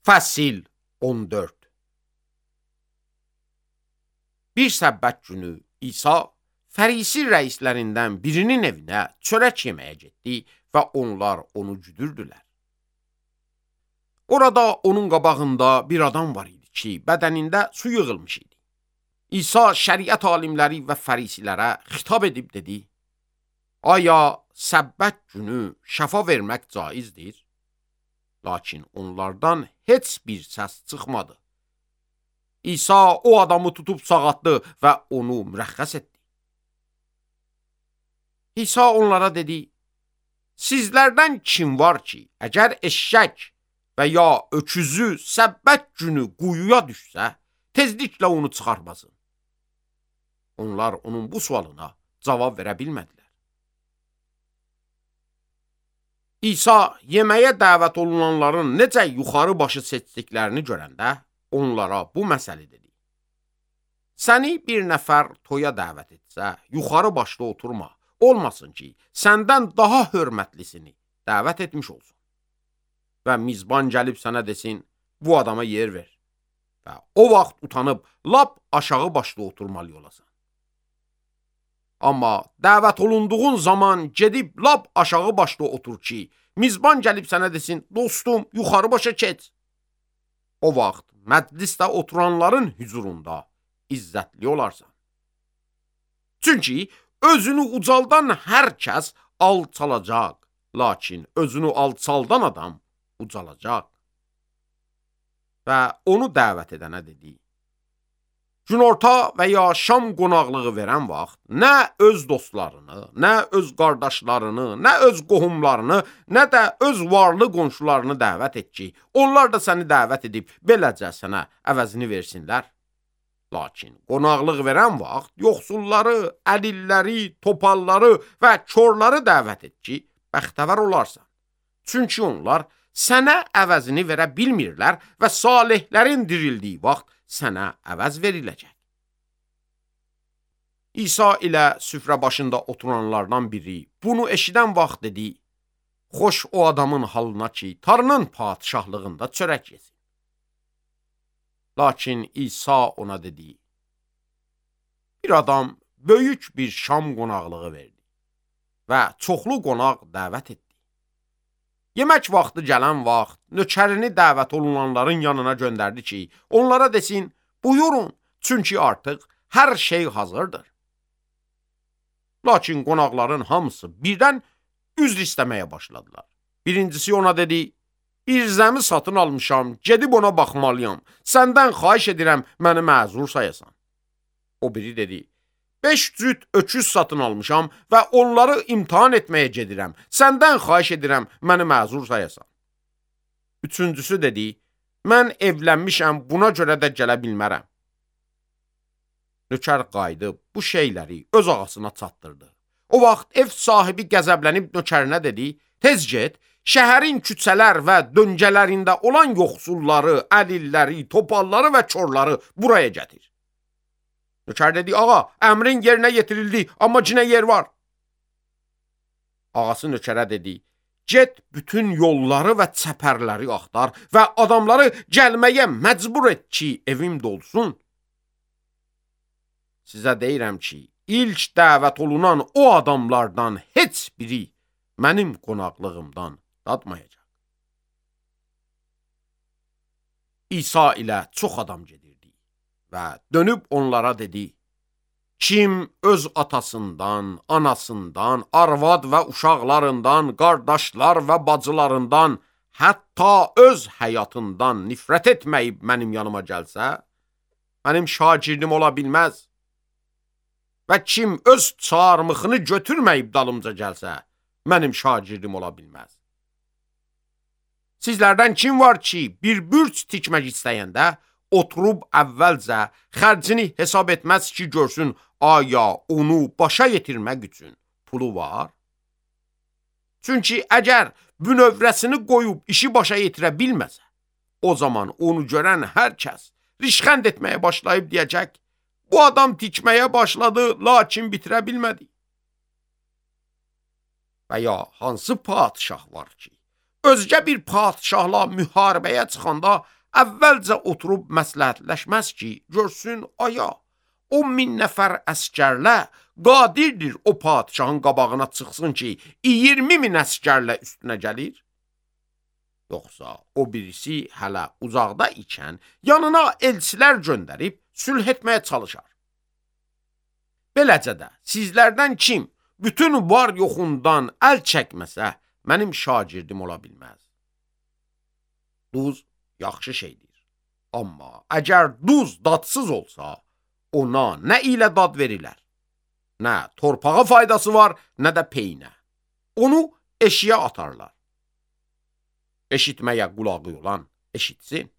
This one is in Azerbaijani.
Fəsil 14. Bir səbbət günü İsa Fərisi rəislərindən birinin evinə çörək yeməyə getdi və onlar onu güdürdülər. Orada onun qabağında bir adam var idi ki, bədənində su yığılmış idi. İsa şəriət alimləri və fərisilərə xitab edib dedi: Aya səbbət günü şəfa vermək caizdir? Lakin onlardan heç bir səs çıxmadı. İsa o adamı tutub sağaltdı və onu mürəxxəs etdi. İsa onlara dedi: Sizlərdən kim var ki, əgər eşşək və ya öküzü səbbət günü quyuya düşsə, tezliklə onu çıxarmasın? Onlar onun bu sualına cavab verə bilmədilər. İsa yeməyə dəvət olunanların necə yuxarı başı seçdiklərini görəndə onlara bu məsələ dedi: Səni bir nəfər toya dəvət etsə, yuxarı başda oturma, olmasın ki, səndən daha hörmətlisini dəvət etmiş olsun. Və mizban gəlib sənə desin, bu adama yer ver. Və o vaxt utanıb lap aşağı başda oturmalı olasan. Amma dəvət olunduğun zaman gedib lap aşağı başda otur ki, mizban gəlib sənə desin, dostum, yuxarı başa keç. O vaxt məclisdə oturanların hüzurunda izzətli olarsan. Çünki özünü ucaldan hər kəs alçalacaq, lakin özünü alçaldan adam ucalacaq. Və onu dəvət edənə dedi: Günorta və ya şam qonaqlığı verən vaxt nə öz dostlarını, nə öz qardaşlarını, nə öz qohumlarını, nə də öz varlı qonşularını dəvət et ki, onlar da səni dəvət edib beləcə sənə əvəzini versinlər. Lakin qonaqlıq verən vaxt yoxsulları, əlilləri, topalları və körləri dəvət et ki, bəxtəvər olarsan. Çünki onlar sənə əvəzini verə bilmirlər və salihlərin dirildiyi vaxt sənə əvəz veriləcək. İsa ilə süfrə başında oturanlardan biri bunu eşidən vaxt dedi: Xoş o adamın halına ki, Tanrının padişahlığında çörək yesin. Lakin İsa ona dedi: Bir adam böyük bir şam qonaqlığı verdi və çoxlu qonaq dəvət etdi. Yemək vaxtı gələn vaxt nökərini dəvət olunanların yanına göndərdi ki, onlara desin, buyurun, çünki artıq hər şey hazırdır. Lakin qonaqların hamısı birdən üzr istəməyə başladılar. Birincisi ona dedi: Bir zəmi satın almışam, gedib ona baxmalıyam. Səndən xahiş edirəm, məni məzur sayasan. O biri dedi: 5 cüt öküz satın almışam və onları imtihan etməyə gedirəm. Səndən xahiş edirəm, məni məzur sayasan. Üçüncüsü dedi: Mən evlənmişəm, buna görə də gələ bilmərəm. Nökər qayıdıb bu şeyləri öz ağasına çatdırdı. O vaxt ev sahibi qəzəblənib nökərinə dedi: Tez get, şəhərin küçələr və döngələrində olan yoxsulları, əlilləri, topalları və körləri buraya gətir. Nökər dedi: Ağa, əmrin yerinə yetirildi, amma cinə yer var. Ağası nökərə dedi: Get bütün yolları və çəpərləri axtar və adamları gəlməyə məcbur et ki, evim dolsun. Sizə deyirəm ki, ilk dəvət olunan o adamlardan heç biri mənim qonaqlığımdan dadmayacaq. İsa ilə çox adam gedirdi və dönüb onlara dedi: Kim öz atasından, anasından, arvad və uşaqlarından, qardaşlar və bacılarından, hətta öz həyatından nifrət etməyib mənim yanıma gəlsə, mənim şagirdim ola bilməz. Və kim öz çarmıxını götürməyib dalımca gəlsə, mənim şagirdim ola bilməz. Sizlərdən kim var ki, bir bürc tikmək istəyəndə, oturub əvvəlcə xərcini hesab etməz ki, görsün, aya onu başa yetirmək üçün pulu var? Çünki əgər bünövrəsini qoyub işi başa yetirə bilməsə, o zaman onu görən hər kəs rişxənd etməyə başlayıb deyəcək: Bu adam tikməyə başladı, lakin bitirə bilmədi. Və ya hansı padişah var ki, özgə bir padişahla müharibəyə çıxanda əvvəlcə oturub məsləhətləşməz ki, görsün aya, o 1000 nəfər əskərlə qadirdir o padişahın qabağına çıxsın ki, 20.000 əskərlə üstünə gəlir? Yoxsa o birisi hələ uzaqda ikən yanına elçilər göndərib sülh etməyə çalışar. Beləcə də sizlərdən kim bütün var yoxundan əl çəkməsə, mənim şagirdim ola bilməz. Duz yaxşı şeydir. Amma əgər duz dadsız olsa, ona nə ilə dad verilər? Nə torpağa faydası var, nə də peynə. Onu eşiyə atarlar. Eşitməyə qulağı olan eşitsin.